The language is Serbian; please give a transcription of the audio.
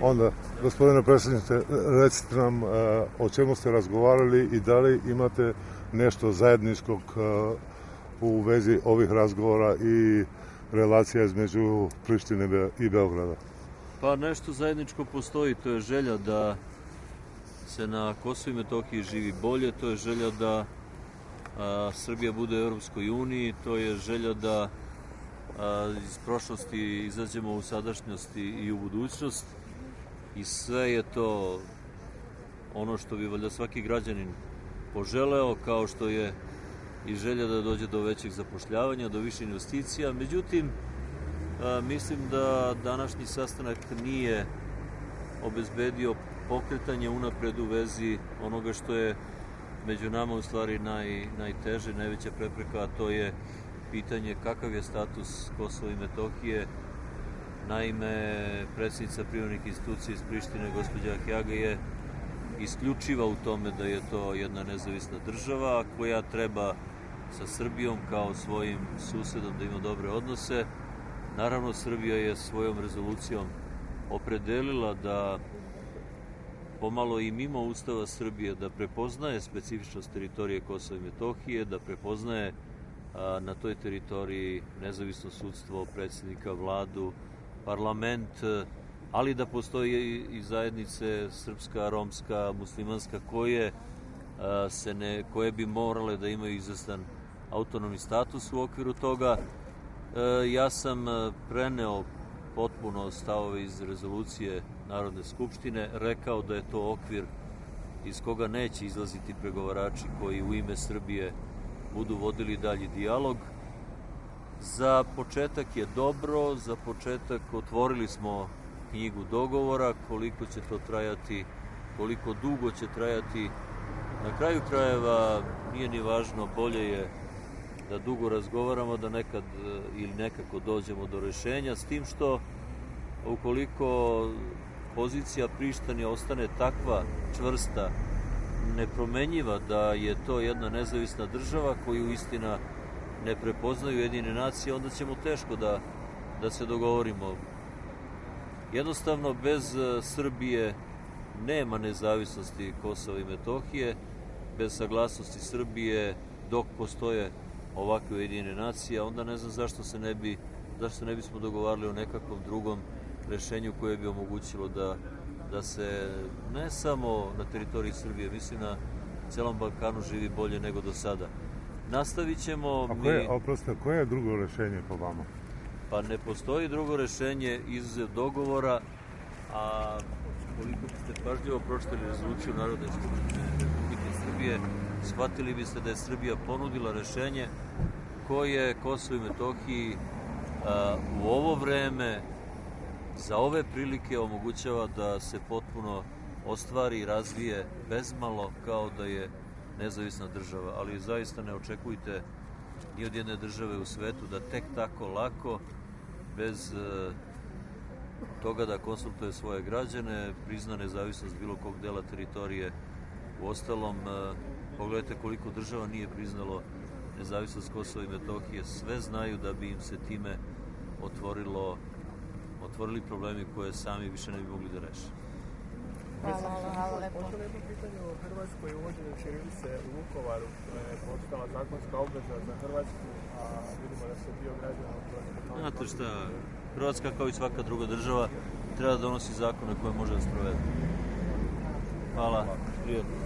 Onda, gospodine predsjedniče, recite nam o čemu ste razgovarali i da li imate nešto zajedničkog u vezi ovih razgovora i relacija između Prištine i Beograda. Pa nešto zajedničko postoji, to je želja da se na Kosovu i Metohiji živi bolje, to je želja da Srbija bude u Europskoj uniji, to je želja da iz prošlosti izađemo u sadašnjosti i u budućnost i sve je to ono što bi valjda svaki građanin poželeo, kao što je i želja da dođe do većeg zapošljavanja, do više investicija. Međutim, mislim da današnji sastanak nije obezbedio pokretanje unapred u vezi onoga što je među nama u stvari najteže, najveća prepreka, a to je pitanje kakav je status Kosova i Metohije. Naime, predsjednica privremenih institucija iz Prištine, gospođa Ahjaga, je isključiva u tome da je to jedna nezavisna država koja treba sa Srbijom kao svojim susedom da ima dobre odnose. Naravno, Srbija je svojom rezolucijom opredelila da pomalo i mimo Ustava Srbije da prepoznaje specifičnost teritorije Kosova i Metohije, da prepoznaje na toj teritoriji nezavisno sudstvo, predsjednika, vladu, parlament, ali da postoji i zajednice srpska, romska, muslimanska koje bi morale da imaju izvestan autonomni status u okviru toga. Ja sam preneo potpuno stavove iz rezolucije Narodne skupštine, rekao da je to okvir iz koga neće izlaziti pregovarači koji u ime Srbije budu vodili dalji dijalog. Za početak je dobro, za početak otvorili smo knjigu dogovora, koliko će to trajati, koliko dugo će trajati. Na kraju krajeva nije ni važno, bolje je da dugo razgovaramo, da nekad ili nekako dođemo do rešenja, s tim što ukoliko pozicija Prištine ostane takva čvrsta, nepromenjiva, da je to jedna nezavisna država koju istina ne prepoznaju Ujedinjene nacije, onda ćemo teško da se dogovorimo. Jednostavno, bez Srbije nema nezavisnosti Kosova i Metohije, bez saglasnosti Srbije dok postoje ovakve Ujedinjene nacije, onda ne znam zašto se ne bismo dogovarali o nekakvom drugom rešenju koje bi omogućilo da se ne samo na teritoriji Srbije, mislim na celom Balkanu živi bolje nego do sada. Nastavit ćemo... Koje je drugo rešenje po vama? Pa ne postoji drugo rešenje iz dogovora, a koliko biste pažljivo pročitali rezoluciju Narodne skupštine Republike Srbije, shvatili biste da je Srbija ponudila rešenje koje Kosovo i Metohiji u ovo vreme, za ove prilike omogućava da se potpuno ostvari i razvije bezmalo kao da je nezavisna država, ali zaista ne očekujte ni od jedne države u svetu da tek tako lako, bez toga da konsultuje svoje građane, prizna nezavisnost bilo kog dela teritorije. Uostalom, pogledajte koliko država nije priznalo nezavisnost Kosova i Metohije. Sve znaju da bi im se time otvorili problemi koje sami više ne bi mogli da reše. Hvala lepo. Možda jedno pitanje o Hrvatskoj, uvođenju ćirilice u Vukovaru, je postala zakonska obveza za Hrvatsku, a vidimo da se dio građana u Hrvatskoj... Znate šta, Hrvatska kao i svaka druga država treba da donosi zakone koje može da sprovede. Hvala. Prijetno.